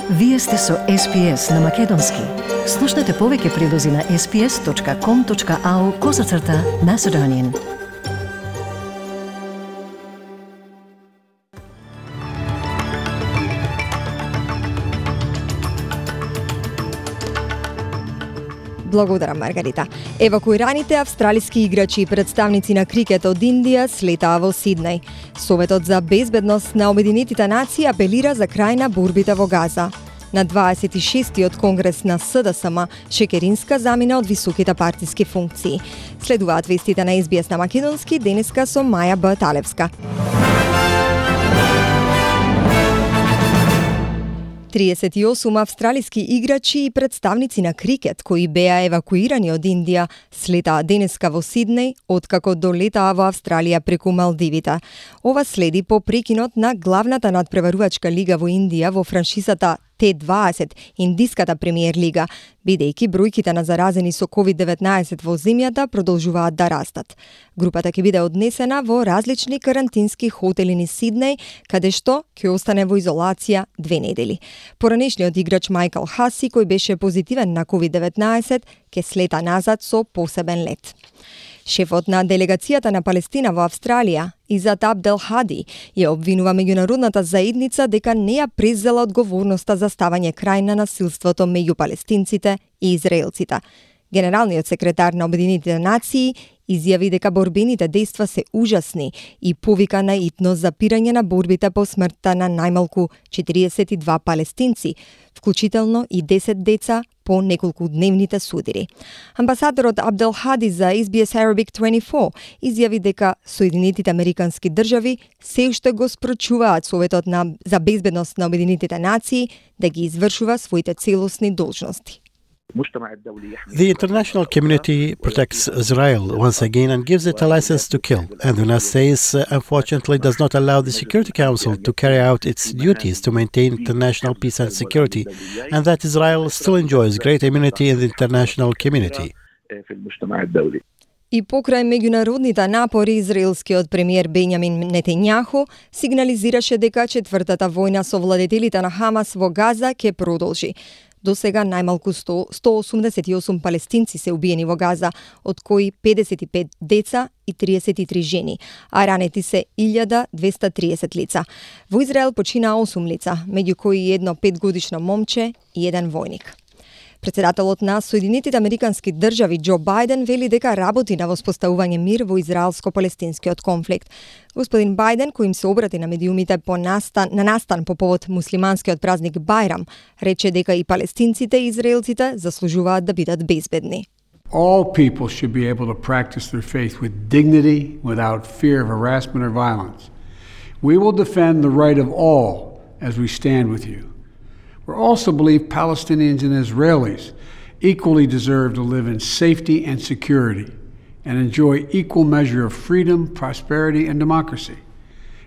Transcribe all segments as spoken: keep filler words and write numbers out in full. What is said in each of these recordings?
Вие сте со Ес Би Ес на Македонски. Слушнете повеќе прилози на ес би ес точка ком точка ау козацрта Macedonian. Благодарам, Маргарита. Евакуираните австралиски играчи и представници на крикет од Индија слетаа во Сиднеј. Советот за безбедност на Обединетите нации апелира за крај на борбите во Газа. На дваесет и шестиот конгрес на Ес Ди Ес Ем Шекеринска замина од високите партиски функции. Следуваат вестите на Ес Би Ес на Македонски денеска со Маја Б. Талевска. триесет и осум австралиски играчи и представници на крикет кои беа евакуирани од Индија слетаа денеска во Сиднеј откако долетаа во Австралија преку Малдивите. Ова следи по прекинот на главната надпреварувачка лига во Индија во франшизата Т дваесет, Индиската премиер лига, бидејќи бројките на заразени со ковид деветнаесет во земјата продолжуваат да растат. Групата ќе биде однесена во различни карантински хотели низ Сиднеј, каде што ќе остане во изолација две недели. Поранешниот играч Майкл Хаси, кој беше позитивен на ковид деветнаесет, ќе слета назад со посебен лет. Шефот на делегацијата на Палестина во Австралија, Изат Абдел Хади, ја обвинува меѓународната заедница дека не ја презела одговорноста за ставање крај на насилството меѓу палестинците и израелците. Генералниот секретар на Обединетите нации изјави дека борбените дејства се ужасни и повика на итно запирање на борбите по смртта на најмалку четириесет и два палестинци, вклучително и десет деца по неколку дневните судири. Амбасадорот Абдел Хади за Ес Би Ес Arabic дваесет и четири изјави дека Соединетите Американски држави се уште го спречуваат Советот на, за безбедност на Обединетите нации да ги извршува своите целосни должности. The international community protects Israel once again and gives it a license to kill. And the United States, uh, unfortunately, does not allow the Security Council to carry out its duties to maintain international peace and security, and that Israel still enjoys great immunity in the international community. И покрај меѓународните напори, израелскиот премиер Бенјамин Нетањаху сигнализираше дека четвртата војна со владетелите на Хамас во Газа ќе продолжи. До сега најмалку сто осумдесет и осум палестинци се убиени во Газа, од кои педесет и пет деца и триесет и три жени, а ранети се илјада двеста триесет лица. Во Израел почина осум лица, меѓу кои едно петгодишно момче и еден војник. Председателот на Соединетите Американски држави Џо Бајден вели дека работи на воспоставување мир во израелско-палестинскиот конфликт. Господин Бајден, кој им се обрати на медиумите по настан, на настан по повод муслиманскиот празник Бајрам, рече дека и палестинците и израелците заслужуваат да бидат безбедни. All people should be able to practice their faith with dignity, without fear of harassment or violence. We will defend the right of all as we stand with you. We also believe Palestinians and Israelis equally deserve to live in safety and security and enjoy equal measure of freedom, prosperity, and democracy.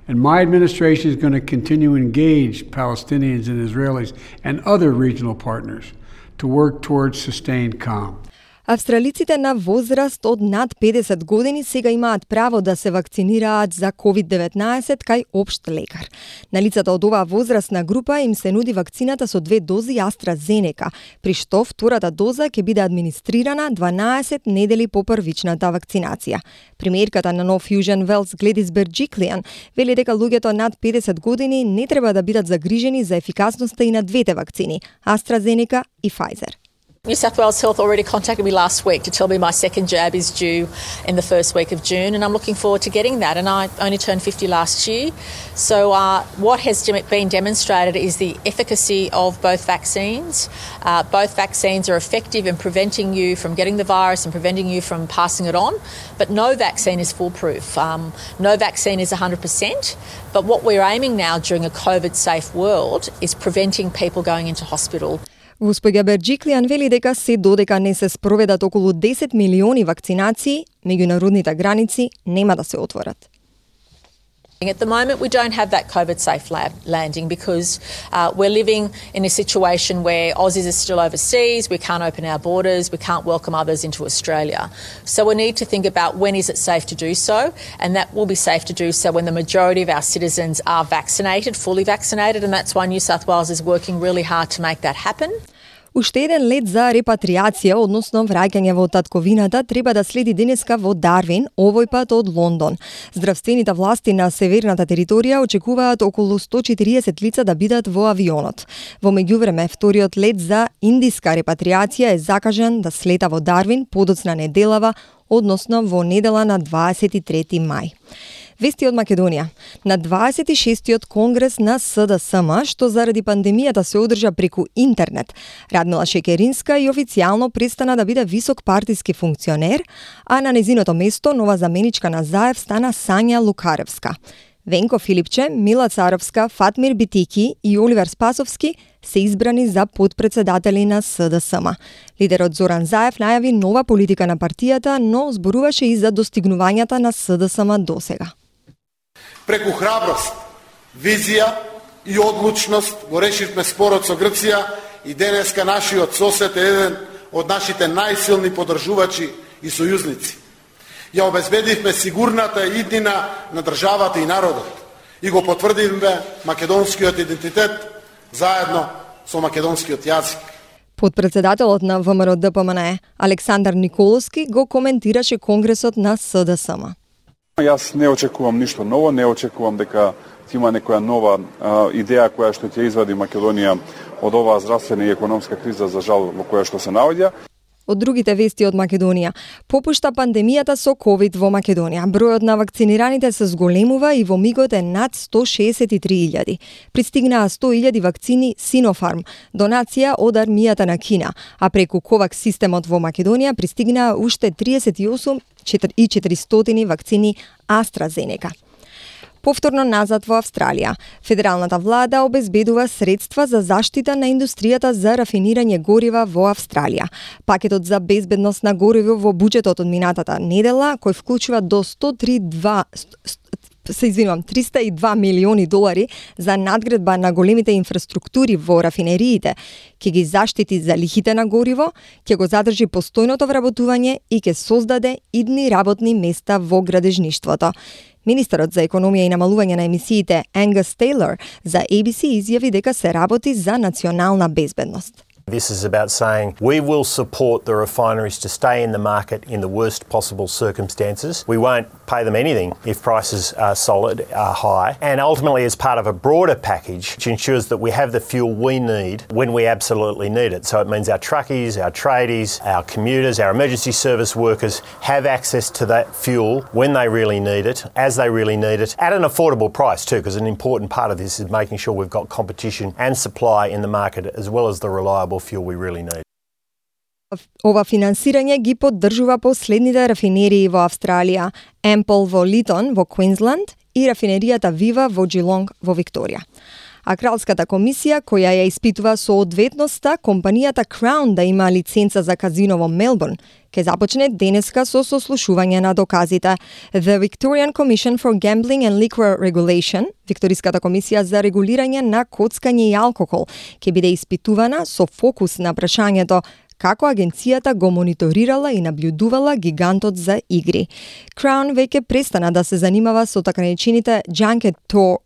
And my administration is going to continue to engage Palestinians and Israelis and other regional partners to work towards sustained calm. Австралиците на возраст од над педесет години сега имаат право да се вакцинираат за ковид деветнаесет кај општ лекар. На лицата од оваа возрастна група им се нуди вакцината со две дози AstraZeneca, при што втората доза ќе биде администрирана дванаесет недели по првичната вакцинација. Премиерката на Нов Южен Велс Гледис Берџиклијан вели дека луѓето над педесет години не треба да бидат загрижени за ефикасноста и на двете вакцини, AstraZeneca и Pfizer. New South Wales Health already contacted me last week to tell me my second jab is due in the first week of June, and I'm looking forward to getting that. And I only turned fifty last year. So uh, what has been demonstrated is the efficacy of both vaccines. Uh, both vaccines are effective in preventing you from getting the virus and preventing you from passing it on, but no vaccine is foolproof. Um, no vaccine is one hundred percent, but what we're aiming now during a COVID-safe world is preventing people going into hospital. Госпоѓа Берџиклијан вели дека се додека не се спроведат околу десет милиони вакцинации, меѓународните граници нема да се отворат. At the moment, we don't have that COVID-safe lab landing because uh, we're living in a situation where Aussies are still overseas, we can't open our borders, we can't welcome others into Australia. So we need to think about when is it safe to do so, and that will be safe to do so when the majority of our citizens are vaccinated, fully vaccinated, and that's why New South Wales is working really hard to make that happen. Уште еден лет за репатриација, односно враќање во татковината, треба да следи денеска во Дарвин, овој пат од Лондон. Здравствените власти на северната територија очекуваат околу сто и четириесет лица да бидат во авионот. Во меѓувреме, вториот лет за индиска репатриација е закажан да слета во Дарвин подоцна неделава, односно во недела на дваесет и трети мај. Вести од Македонија. На дваесет и шестиот конгрес на С Д С М, што заради пандемијата се одржа преку интернет, Радмила Шекеринска и официјално престана да биде висок партиски функционер, а на незиното место нова заменичка на Заев стана Сања Лукаревска. Венко Филипче, Мила Царовска, Фатмир Битики и Оливер Спасовски се избрани за подпредседатели на С Д С М. Лидерот Зоран Заев најави нова политика на партијата, но зборуваше и за достигнувањата на С Д С М досега. Преку храброст, визија и одлучност го решивме спорот со Грција и денеска нашиот сосед е еден од нашите најсилни подржувачи и сојузници. Ја обезбедивме сигурната иднина на државата и народот и го потврдивме македонскиот идентитет заедно со македонскиот јазик. Подпредседателот на В М Р Д П М Н Е Александар Николовски го коментираше конгресот на С Д С М. Јас не очекувам ништо ново, не очекувам дека има некоја нова а, идеја која што ќе извади Македонија од оваа здравствена и економска криза, за жал, во која што се наоѓа. Од другите вести од Македонија. Попушта пандемијата со ковид во Македонија. Бројот на вакцинираните се зголемува и во мигот е над сто шеесет и три илјади. Пристигнаа сто илјади вакцини Синофарм, донација од армијата на Кина, а преку ковакс системот во Македонија пристигнаа уште триесет и осум и четиристотини вакцини AstraZeneca. Повторно назад во Австралија. Федералната влада обезбедува средства за заштита на индустријата за рафинирање горива во Австралија. Пакетот за безбедност на гориво во буџетот од минатата недела, кој вклучува до сто триесет и два се извинувам, триста и два милиони долари за надградба на големите инфраструктури во рафинериите, ќе ги заштити залихите на гориво, ќе го задржи постојното вработување и ќе создаде идни работни места во градежништвото. Министерот за економија и намалување на емисиите Ангус Тейлор за A B C изјави дека се работи за национална безбедност. This is about saying we will support the refineries to stay in the market in the worst possible circumstances. We won't pay them anything if prices are solid, are high. And ultimately, as part of a broader package, which ensures that we have the fuel we need when we absolutely need it. So it means our truckies, our tradies, our commuters, our emergency service workers have access to that fuel when they really need it, as they really need it, at an affordable price too, because an important part of this is making sure we've got competition and supply in the market as well as the reliable fuel we really need. Ова финансирање ги поддржува последните рафинерии во Австралија, Ампл во Литон во Квинсланд и рафинеријата Вива во Джилонг во Викторија. А Кралската комисија, која ја испитува соодветноста компанијата Crown да има лиценца за казино во Мелбурн, ќе започне денеска со сослушување на доказите. The Victorian Commission for Gambling and Liquor Regulation, Викториската комисија за регулирање на коцкање и алкохол, ќе биде испитувана со фокус на прашањето како агенцијата го мониторирала и наблюдувала гигантот за игри. Crown веќе престана да се занимава со така наречените junket tour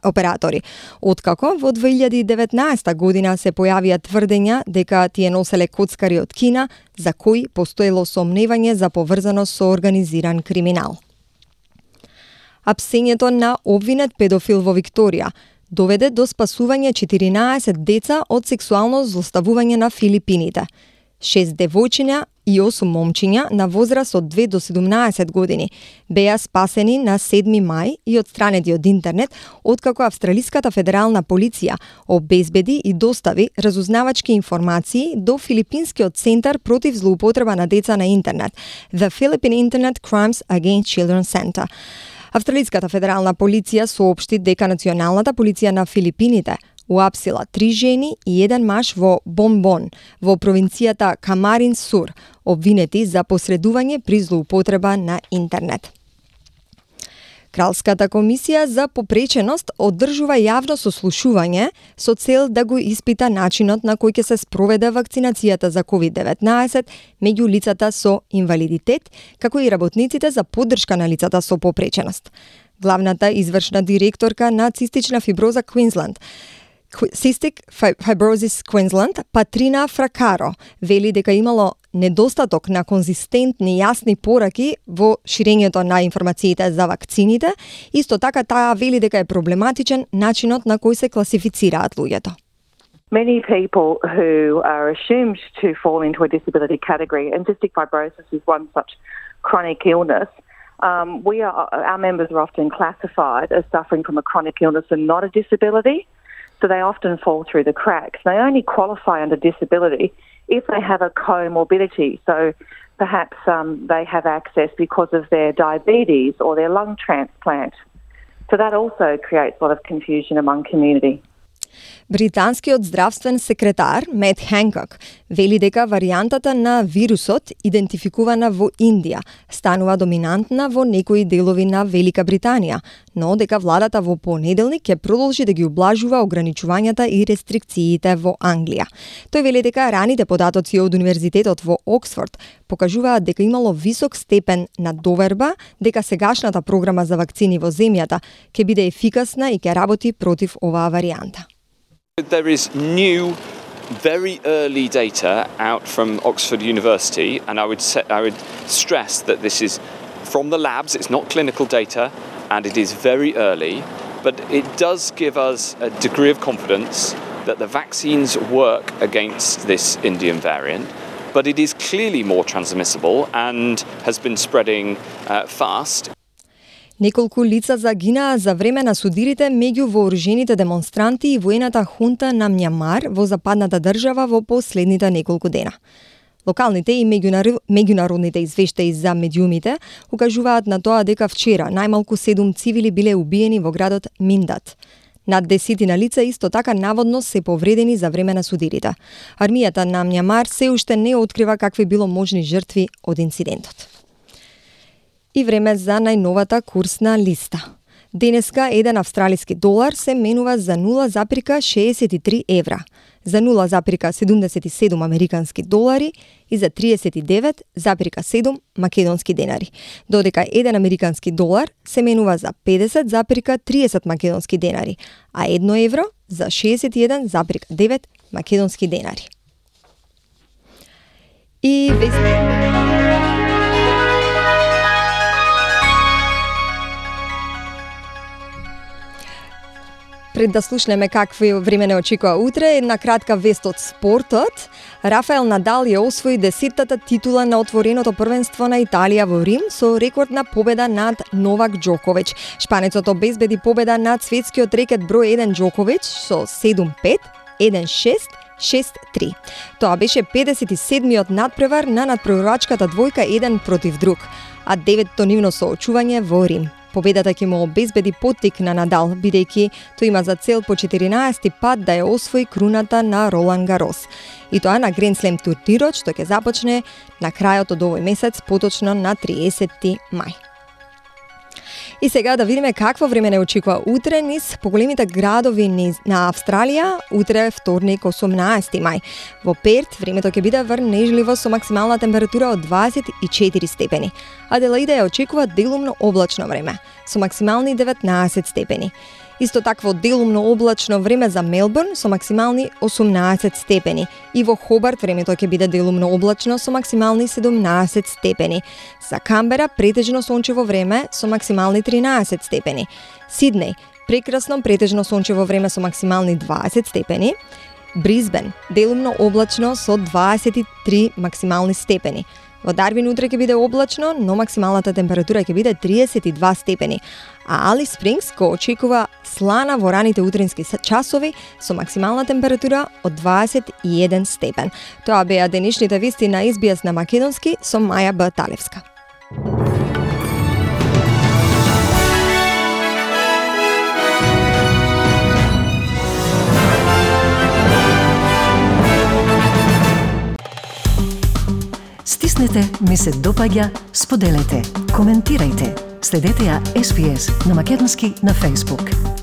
оператори, откако во две илјади и деветнаесета година се појавија тврдења дека тие носеле коцкари од Кина, за кои постоело сомневање за поврзаност со организиран криминал. Апсењето на обвинет педофил во Викторија доведе до спасување четиринаесет деца од сексуално злоставување на Филипините. Шест девојчиња и осум момчиња на возраст од две до седумнаесет години беа спасени на седми мај и отстранети од интернет, откако Австралиската федерална полиција обезбеди и достави разузнавачки информации до Филипинскиот центар против злоупотреба на деца на интернет, The Philippine Internet Crimes Against Children Center. Австралиската федерална полиција соопшти дека националната полиција на Филипините уапсила три жени и еден маж во Бомбон, во провинцијата Камарин Сур, обвинети за посредување при злоупотреба на интернет. Кралската комисија за попреченост одржува јавно сослушување со цел да го испита начинот на кој ќе се спроведе вакцинацијата за ковид деветнаесет меѓу лицата со инвалидитет, како и работниците за поддршка на лицата со попреченост. Главната извршна директорка на цистична фиброза Квинсленд, Cystic Fibrosis Queensland, Патрина Фракаро, вели дека имало недостаток на конзистентни јасни пораки во ширењето на информациите за вакцините. Исто така таа вели дека е проблематичен начинот на кој се класифицираат луѓето. Many people who are assumed to fall into a disability category, and cystic fibrosis is one such chronic illness. Um, we are, our members are often classified as suffering from a chronic illness and not a disability. So they often fall through the cracks. They only qualify under disability if they have a comorbidity. So perhaps um, they have access because of their diabetes or their lung transplant. So that also creates a lot of confusion among community. Британскиот здравствен секретар Мет Хенкок вели дека варијантата на вирусот, идентификувана во Индија, станува доминантна во некои делови на Велика Британија, но дека владата во понеделник ќе продолжи да ги ублажува ограничувањата и рестрикциите во Англија. Тој вели дека раните податоци од Универзитетот во Оксфорд покажуваат дека имало висок степен на доверба дека сегашната програма за вакцини во земјата ќе биде ефикасна и ќе работи против оваа варијанта. There is new, very early data out from Oxford University, and I would say, I would stress that this is from the labs. It's not clinical data, and it is very early, but it does give us a degree of confidence that the vaccines work against this Indian variant. But it is clearly more transmissible and has been spreading uh, fast. Неколку лица загинаа за време на судирите меѓу вооружените демонстранти и воената хунта на Мјанмар во западната држава во последните неколку дена. Локалните и меѓународните извештаи за медиумите укажуваат на тоа дека вчера најмалку седум цивили биле убиени во градот Миндат. Над десетина лица исто така наводно се повредени за време на судирите. Армијата на Мјанмар се уште не открива какви било можни жртви од инцидентот. И време за најновата курсна листа. Денеска еден австралиски долар се менува за нула запирка шеесет и три евра, за нула запирка седумдесет и седум американски долари и за триесет и девет запирка седум македонски денари, додека еден американски долар се менува за педесет запирка триесет македонски денари, а едно евро за шеесет и еден запирка девет македонски денари. И вести... Пред да слушнеме какви време не очекува утре, една кратка вест од спортот. Рафаел Надал ја освои десеттата титула на отвореното првенство на Италија во Рим со рекордна победа над Новак Џоковиќ. Шпанецот обезбеди победа над светскиот рекет број еден Џоковиќ со седум пет, еден шест, шест три. Тоа беше педесет и седмиот надпревар на надпреварачката двојка еден против друг, а деветто нивно соочување во Рим. Победата ќе му обезбеди поттик на Надал, бидејќи тој има за цел по четиринаесети пат да ја освои круната на Ролан Гарос. И тоа на Гранд Слем турнирот, што ќе започне на крајот од овој месец, поточно на триесети мај. И сега да видиме какво време не очекува утре низ поголемите градови на Австралија, утре вторник осумнаесети мај. Во Перт времето ќе биде врнежливо со максимална температура од дваесет и четири степени. Аделаида ја очекува делумно облачно време со максимални деветнаесет степени. Исто такво делумно облачно време за Мелбурн со максимални осумнаесет степени. И во Хобарт времето ќе биде делумно облачно со максимални седумнаесет степени. За Камбера претежно сончево време со максимални тринаесет степени. Сиднеј прекрасно претежно сончево време со максимални дваесет степени. Брисбен делумно облачно со дваесет и три максимални степени. Во Дарвин утре ќе биде облачно, но максималната температура ќе биде триесет и два степени. А Алис Спрингс го очекува слана во раните утрински часови со максимална температура од дваесет и еден степен. Тоа беа денешните вести на Ес Би Ес на македонски со Маја Б. Талевска. Стиснете, ми се допаѓа, споделете, коментирајте. Следете ја Ес Би Ес на македонски на Facebook.